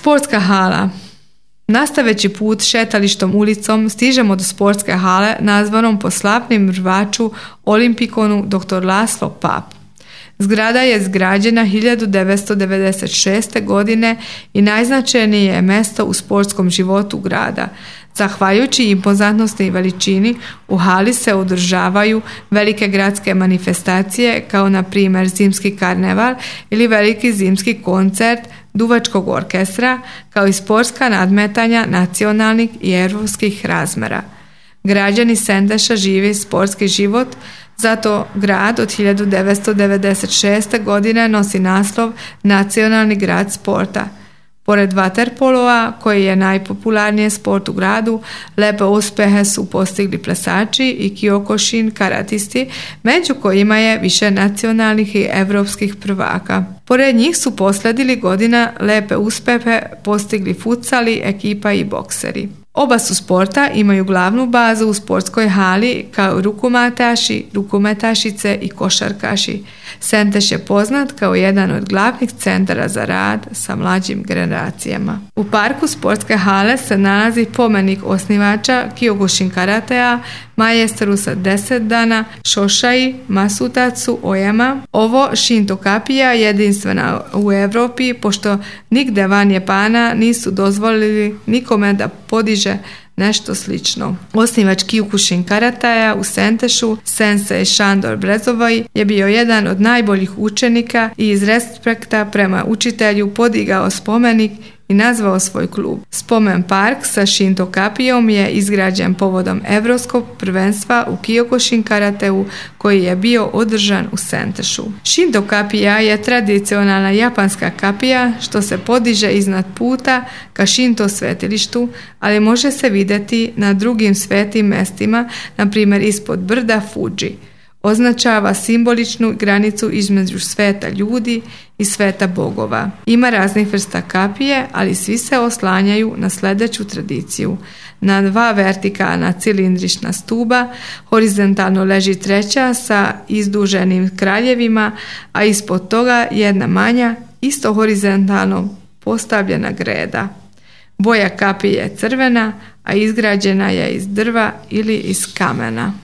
Sportska hala. Nastaveći put šetalištom ulicom stižemo do sportske hale nazvanom po slavnim rvaču olimpikonu dr. Laslo Pap. Zgrada je izgrađena 1996. godine i najznačajnije je mjesto u sportskom životu grada. Zahvaljujući impozantnosti i veličini, u hali se održavaju velike gradske manifestacije kao na primjer zimski karneval ili veliki zimski koncert duvačkog orkestra, kao i sportska nadmetanja nacionalnih i europskih razmjera. Građani Sendeša žive sportski život, zato grad od 1996. godine nosi naslov Nacionalni grad sporta. Pored vaterpolova, koji je najpopularniji sport u gradu, lepe uspjehe su postigli plesači i kiokošin karatisti, među kojima je više nacionalnih i evropskih prvaka. Pored njih su posledili godina lepe uspjehe postigli futsali, ekipa i bokseri. Oba su sporta imaju glavnu bazu u sportskoj hali kao rukometaši, rukometašice i košarkaši. Senteš je poznat kao jedan od glavnih centara za rad sa mlađim generacijama. U parku sportske hale se nalazi pomenik osnivača Kyokushin karatea, majstoru sa 10 dana Shoshai Masutatsu Oyama. Ovo Shinto kapija je jedinstvena u Europi, pošto nigde van Japana nisu dozvolili nikome da podiže nešto slično. Osnivač Kyokushin karatea u Sentešu, sensei Shandor Brezovoj, je bio jedan od najboljih učenika i iz respekta prema učitelju podigao spomenik i nazvao svoj klub. Spomen park sa Shinto kapijom je izgrađen povodom Evropskog prvenstva u Kyokushin karateu koji je bio održan u Sentešu. Shinto kapija je tradicionalna japanska kapija što se podiže iznad puta ka Shinto svetilištu, ali može se vidjeti na drugim svetim mestima, na primjer ispod brda Fuji. Označava simboličnu granicu između sveta ljudi i sveta bogova. Ima raznih vrsta kapije, ali svi se oslanjaju na sljedeću tradiciju. Na 2 vertikalna cilindrična stuba horizontalno leži treća sa izduženim kraljevima, a ispod toga jedna manja, isto horizontalno postavljena greda. Boja kapije je crvena, a izgrađena je iz drva ili iz kamena.